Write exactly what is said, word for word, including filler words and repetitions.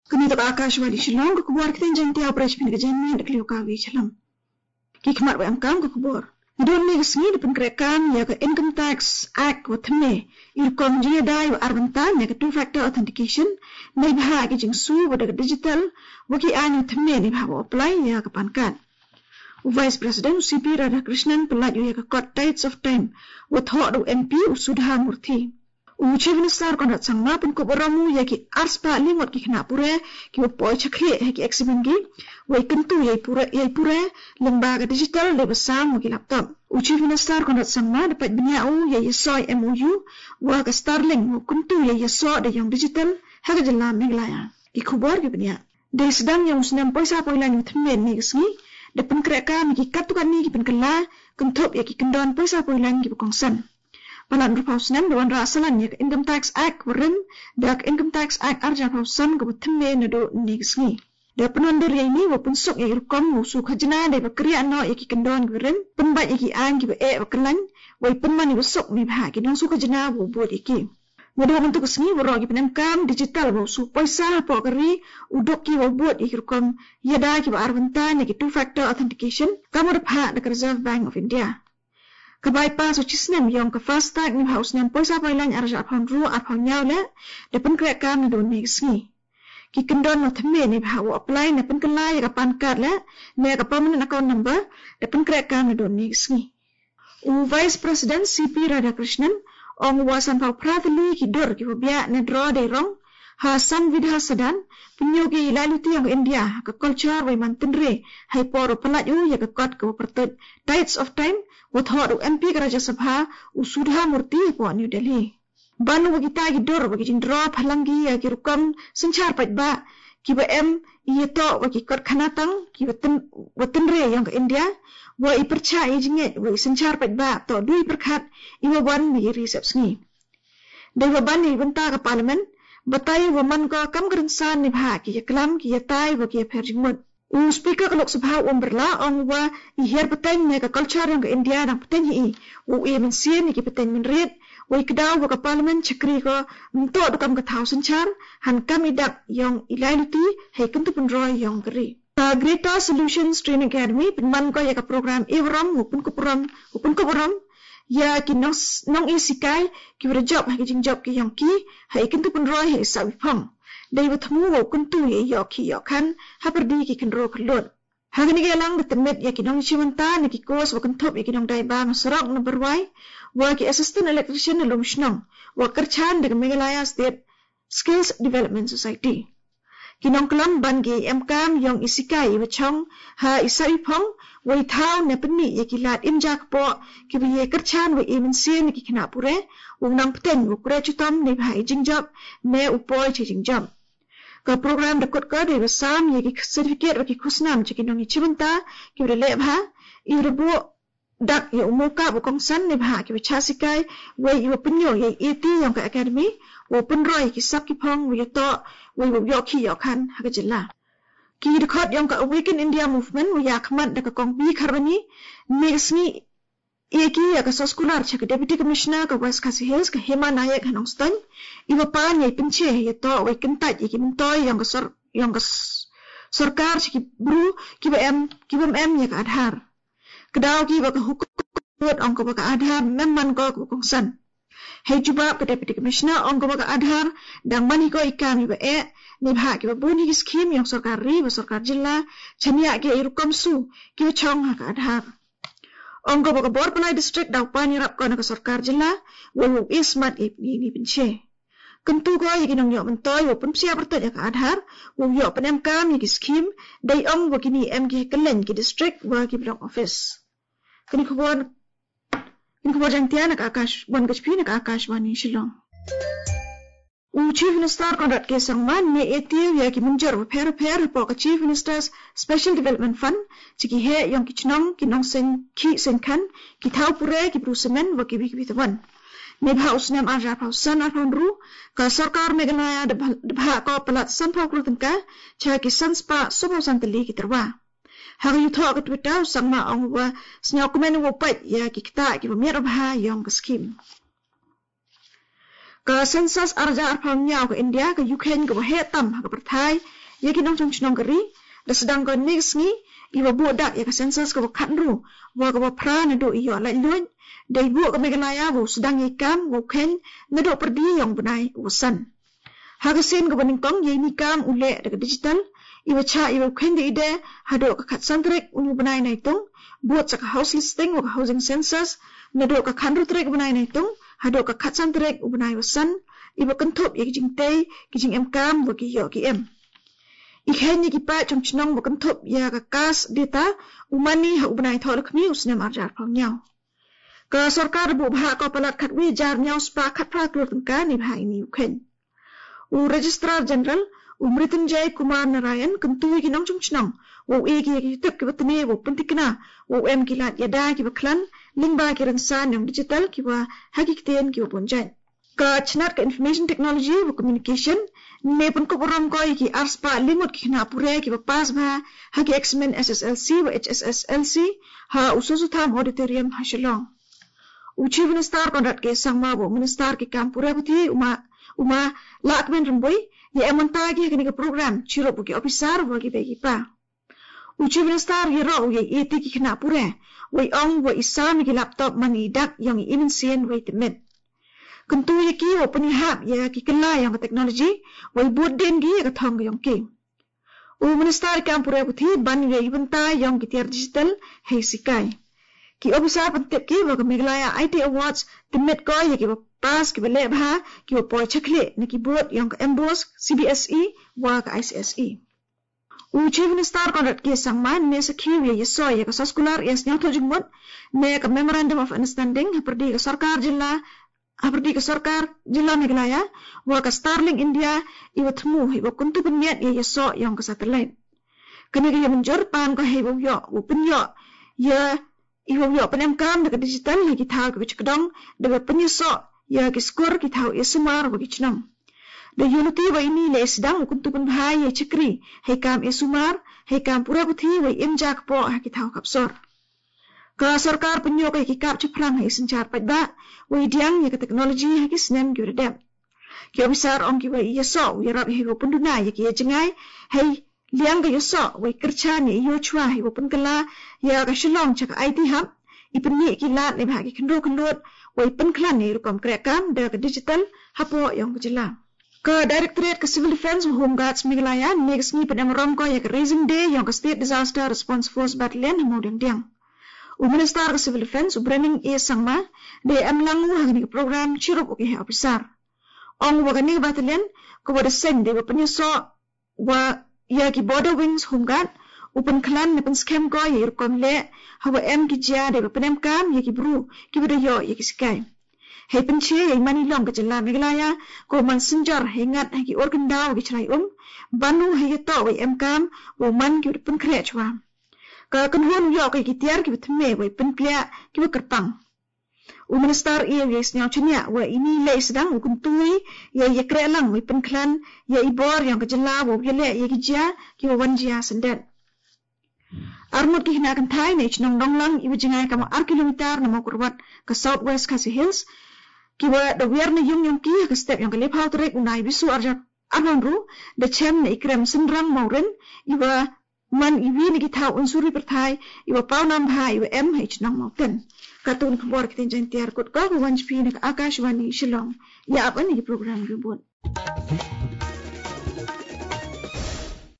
Kami tok Akashvani Shillong, ka khubor ktien Jaiñtia, u press pin ka Jaiñmia, da ka liu ka wi chalam. Ki khmat wa em kam ka khubor. Nadon ni ka sngi da pynkhreh kam ya ka Income Tax Act wa thymme, i rukom jingïada wa ar bynta ne ka two factor authentication, neibhah ki jingsu wa da ka digital, wa ki aiñ wa thymme neibhah wa apply ya ka PAN card. U Vice President u C P Radhakrishnan pynlait u ya ka kot Tides of Time, wa thoh da u M P u Sudha Murthy. U Chief Minister Conrad Sangma pynkup burom u ya ki arspah li ngut ki khynnah pure ki wa poi chakri ha ki exam ki, wa i kyntu ya i pure, ya i pure lyngba ka digital dei ba sam wa ki laptop. U Chief Minister Conrad Sangma da pait bniah u ya i soi M O U wa ka Starlink wa kyntu ya i soi da yong digital ha ka jylla Meghalaya. Ki khubor ki bniah. Dei sdang yong u snem poisa poilaiñ wa thymme ni ka sngi da pynkhreh kam ya ki katto katne ki pynkylla kynthup ya ki kyndon poisa poilaiñ ki ba kongsan. Palat hynriewphew snem da wanrah salan ya ka Income Tax Act wa rim da ka Income Tax Act arhajar arphew san ka wa thymme nadon ni ka sngi. Da pynwandur ya ini wa pynsuk ya i rukom wa u su khajna dei ba kri ano ya ki kyndon ki wa rim, pynbait ya ki aiñ ki wa eh wa kyllaiñ, wa i pynman ya wa suk neibhah ki nongsu khajna wa u bud ya ki. Nadon mynta ka sngi waroh ki pynemkam digital wa u su poisa hapoh ka ri u duk ki wa u bud ya ki rukom ïada ki wa ar bynta ne ki two factor authentication, kam wa da phah da ka Reserve Bank of India. Ka bypass wa chisnem yong ka FASTag neibhah u snem poisa poilaiñ arhajar arphew hynriew arphew hynñiew le da pynkhreh kam nadon ni ka sngi. Ki kyndon wa thymme neibhah wa apply ne pynkylla ya ka PAN card le ne ka permanent account number da pynkhreh kam nadon ni ka sngi. U Vice President C P Radhakrishnan ong u wa sanphew phra tylli ki dur ki wa biah ne draw dei rong ha Samvidhan Sadan, pynïoh ki i laitluti yong ka India, ka culture wa i man tynrai, ha i por wa pynlait u ya ka kot ka wa pyrtuid Tides of Time, wa thoh da u M P ka Rajya Sabha u Sudha Murthy hapoh New Delhi. Ban u wa kita ki dur wa ki jingdraw phalang ki ya ki rukom synchar paidbah ki wa em i yatoh wa ki kot khanatang ki wa tyn-, wa tynrai yong ka India, wa i pyrchah i jingngeit wa i synchar paidbah toh dui pyrkhat i wa wan wa i ri sepsngi. Dei wa ban i bynta ka Parliament, batai wa man ko kam ka rynsan neibhah ki yaklam ki yatai wa ki yapher jingmut. U Speaker ka Lok Sabha u Om Birla ong u wa i hiar pateng ne ka culture yong ka India dang pateng hi i, wa u e mynsiem ya ki pateng mynried, wa i kdaw wa ka Parliament chakri ko mynta da kam ka thaw synchar, han kam i dak yong i laitluti, ha i kyntu pynroi yong ka ri. Ka Greta Solutions Training Academy pynman ko ya ka program e burom, wa pynkup burom, wa pynkup burom ya ki nong s-, nong e sikai ki wa da jop ha ki jingjop ki yong ki, ha i kyntu pynroi ha i sah wiphong. Dei wa thmu wa u kyntu ya i yoh ki yoh khan ha pyrdi ki khynraw khyllood. Ha kane ka yalang da tymmen ya ki nongchimbynta ne ki course wa kynthup ya ki nongdaiba na sorok na barwai, wa ki assistant electrician na Lumshnong, wa kyrchan da ka Meghalaya State Skills Development Society. Ki nongklam ban ki em kam yong i sikai i wa chong ha i sah i phong, wa i thaw ne pynmih ya ki lad im ja kpoh ki wa ye kyrchan wa i mynsiem ya ki khynnah pure, wa u nang pateng wa kure chutom neibhah i jingjop ne u poi cha i jingjop. Ka program da kut ko dei wa sam ya ki certificate wa ki khusnam cha ki nongchimbynta ki wa da leh bha, i wa da buh dak ya u mokap wa kongsan neibhah ki wa chah sikai, wa i wa pynïoh ya i eti yong ka academy, wa pynroi ya ki sap ki phong, wa yatoh, wa i wa yoh ki yoh khan ha ka jylla. Ki dkhot yong ka Awaken India Movement wa yakhmat da ka Kong B Kharwani, ne ka sngi e ki ya ka soskular cha ka Deputy Commissioner ka West Khasi Hills ka Hema Nayak ha Nongstoiñ, i wa pan ya i pynche yatoh wa i kyntait ya ki myntoi yong ka sor-, yong ka s-, sorkar cha ki bru ki wa em, ki wa em ya ka Aadhaar. Kdaw ki wa ka hukum ong ko wa ka Aadhaar mem man ko ka wa kongsan. Hei jubab ka Deputy Commissioner ong ko wa ka Aadhaar dang man hi ko i kam i wa eh, neibhah ki wa bun hi ki scheme yong sorkar ri wa sorkar jylla, chaniah ki i rukom su ki wa chong ha ka Aadhaar. Ong ko wa ka Borpalai District daw pan yarap ko na ka sorkar jylla, wa u ismat i ni ni pynche. Kyntu ko ya ki nongïoh myntoi wa pynpsiah pyrtuid ya ka Aadhaar, wa u yoh pynemkam ya ki scheme, dei ong wa kini em ki ha kylleng ki district wa ki block office. Kani khubor, kani khubor Jaiñtia na ka Akash, wan ka chpi na ka Akashvani Shillong. U Chief Minister Conrad K Sangma ne eti u ya ki mynjur wa pher pher hapoh ka Chief Minister's Special Development Fund, cha ki heh yong ki chnong, ki nongseng khih seng khan, ki thaw pure, ki bru semen, wa ki wi ki wi tawan. Neibhah u snem arhajar arphew san arphew hynriew, ka sorkar Meghalaya da bha-, da bhah ko palat sanphew klur tyngka, cha ki sanspah sawphew san tylli ki tyrwa. Ha ka yuto ka Twitter u Sangma ong u ba sniaw kumen u pait ya ki kta ki ba miat u ba ha yong ka skim. Ka census arja arphaw nyaw ka India ka Ukraine ka ba he tam ha ka pyrthai ya ki nongchong chnong ka ri da sedang ka nik sngi i ba bu dak ya ka census ka ba khatru wa ka ba phra na do i yo lai luin da i bu ka Meghalaya wa u sedang ya i kam wa u khen na do perdi yong benai wa san. Ha ka sen ka ba ningkong ya i ni kam u le da ka digital i ba cha i ba u khen da i de ha do ka khatsan trek u benai nai tung buat sa ka house listing wa ka housing census na do ka khatru trek u benai nai tung ha do ka khatsan trek u benai wa san i ba kenthup ya ki jingtei ki jingem kam wa ki yo ki em. I khen ya ki pa chong chnong wa kenthup ya ka kas data u mani ha u benai tho lakmi u snem arja arphaw nyaw. Ka sorkar bu bha ka palat khat wi jar nyaw spa khat phra klur tengka ni bha i ni u khen. U Registrar General u Mrityunjay Kumar Narayan kyntu i ki nongchong chnong wa u e ki ya ki tip ki ba tne wa u pyntikna wa u em ki lat ya da ki ba khlan ling ba ki rynsan yong digital ki wa ha ki ktien ki wa bonjai. Ka chnat ka Information Technology wa Communication ne pun ko borom ko i ki ar spa limut ki khna pure ki ba pas ba ha ki examen S S L C wa H S S L C ha u Sosutham Auditorium ha Shillong. U Chief Minister Conrad K Sangma wa u Minister ki kam pure puthi Uma, Uma Lakmen Rymbui ya em wan ta ki ha kani ka program chirup wa ki officer wa ki begi pa. U Chief Minister ya ro u ya i e ti ki khna pure wa i ong wa i sam ya ki laptop man i dak yong i i mynsiem wa i tymmen. Kyntu ya ki wa pynihap ya ki kylla yong ka technology wa i bud den ki ya ka thong ka yong ki. U Minister i kam pure puthi ban ya i bynta yong ki tiar digital hei sikai. Ki officer pyntip ki wa ka Meghalaya I T Awards tymmet ko ya ki wa pas ki wa le bha ki wa poi chakhle na ki bud yong ka M B O S, C B S E wa ka I C S E. U Chief Minister Conrad K Sangma ne sakhi ya i so ya ka saskular ya sniaw tho jingmut ne ka Memorandum of Understanding ha pyrdi ka sorkar jylla ha pyrdi ka sorkar jylla Meghalaya wa ka Starlink India i wa thmu hei wa kyntu pynmiat ya i so yong ka satellite. Kani ka ya mynjur pan ko hei wa yo wa pynyo ya i wa yo pynem kam da ka digital hei ki thaw ki wa chakdong da wa pynyo so ya ki skur ki thaw i sumar wa ki chnong. Da Unity wa i ni le sedang u kyntu pynbha ya i chakri hei kam i sumar hei kam pura puthi wa i im jak po ha ki thaw kap sor. Ka sorkar pynyo ka i ki kap chaphrang hei i synchar pait ba wa i diang ya ka technology ha ki snem ki wa da dep. Ki officer ong ki wa i ya so wa i rap hei wa pynduna ya ki ya jngai hei liang ka ya so wa i kyrchan ya i yo chwa hei wa pynkylla ya ka Shillong cha ka I T hub i pynmih ki lat ne bha ki khynro khynrot wa i pynkhlan ya i rukom krek kam da ka digital ha po yong ka jylla. Ka Directorate ka Civil Defence wa Home Guards Meghalaya ne ka sngi pynem rom ko ya ka Raising Day yong ka State Disaster Response Force Battalion ha Mawdiangdiang. U Minister ka Civil Defence u Brening A Sangma de em lang u ha kani ka program chirup u ki he officer. Ong wa kani ka battalion ka wa da seng de wa pynyaso wa ya ki Border Wings Home Guard u pynkhlan ne pynskhem ko ya i rukom le ha wa em ki jia de wa pynem kam ya ki bru ki wa da yo ya ki sikai. Hei pynche ya i mani long ka jylla Meghalaya ko man synjor hei ngat ha ki or kyndaw wa ki chrai um ban u hei ya to wa i em kam wa u man ki wa da pynkhreh chwa. Ka kynhun u yo ka i ki tiar ki wa thymme wa i pynplia ki wa kyrpang. U Minister i ya i sniaw chania wa i ni le i sedang u kyntu i ya i ya kreh lang wa i pynkhlan ya i bor yong ka jylla wa u ya le ya ki jia ki wa wan jia syndet. Armut ki hina kynthai na i chnong Donglang i wa jngai kama ar kilometer na Mawkyrwat ka South West Khasi Hills ki wa da wiar na yung yong ki ha ka step yong ka lephaw tarik u nai bisu arja arhon ru da chem na i krem synrang Mawrin i wa man i wi na ki thaw unsuri pyrthai i wa paw nam bha i wa em ha i chnong Mawten. Ka tun khubor ki tin jan tiar kut ko ka wan chpi na ka Akashvani Shillong. Ya ap an i program ribut.